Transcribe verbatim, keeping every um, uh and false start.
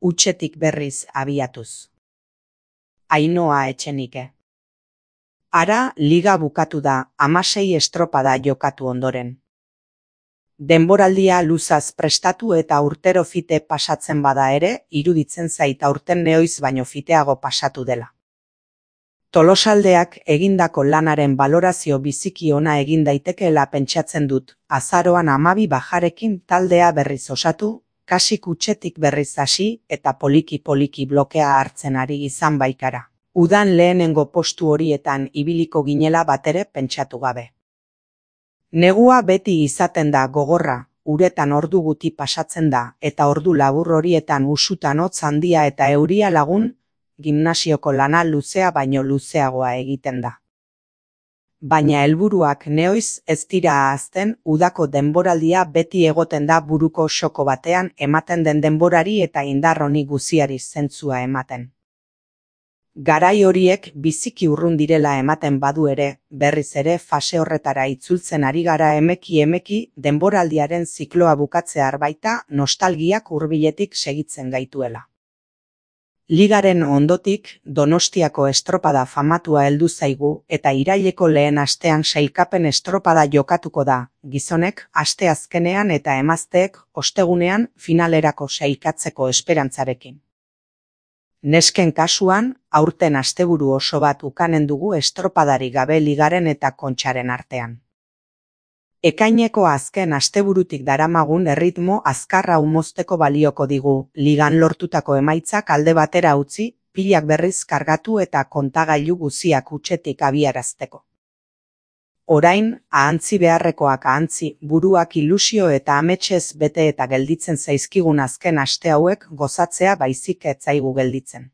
Hutsetik berriz abiatuz. Ainhoa Etxenike. Ara liga bukatu da, hamasei estropada jokatu ondoren. Denboraldia luzaz prestatu eta urtero fite pasatzen bada ere, iruditzen zait aurten nehoiz baino fiteago pasatu dela. Tolosaldeak egindako lanaren balorazio biziki ona egin daitekeela pentsatzen dut, azaroan hamabi bajarekin taldea berriz osatu, kasik hutsetik berriz hasi eta poliki-poliki blokea hartzen ari izan baikara. Udan lehenengo postu horietan ibiliko ginela batere pentsatu gabe. Negua beti izaten da gogorra, uretan ordu guti pasatzen da, eta ordu labur horietan usutan hotz handia eta euria lagun, gimnasioko lana luzea baino luzeagoa egiten da. Baina helburuak nehoiz ez dira ahazten, udako denboraldia beti egoten da buruko soko batean ematen den denborari eta indar honi guziari zentzua ematen. Garai horiek biziki urrun direla ematen badu ere, berriz ere fase horretara itzultzen ari gara emeki-emeki denboraldiaren zikloa bukatzear baita nostalgiak hurbiletik segitzen gaituela. Ligaren ondotik, Donostiako estropada famatua heldu zaigu eta iraileko lehen astean sailkapen estropada jokatuko da, gizonek asteazkenean eta emazteek ostegunean finalerako sailkatzeko esperantzarekin. Nesken kasuan, aurten asteburu oso bat ukanen dugu estropadari gabe ligaren eta kontxaren artean. Ekaineko azken asteburutik daramagun erritmo azkarra mozteko balioko digu, ligan lortutako emaitzak alde batera utzi, pilak berriz kargatu eta kontagailu guziak hutsetik abiarazteko. Orain, ahantzi beharrekoak ahantzi, buruak ilusio eta ametsez bete eta gelditzen zaizkigun azken aste hauek gozatzea baizik ez zaigu gelditzen.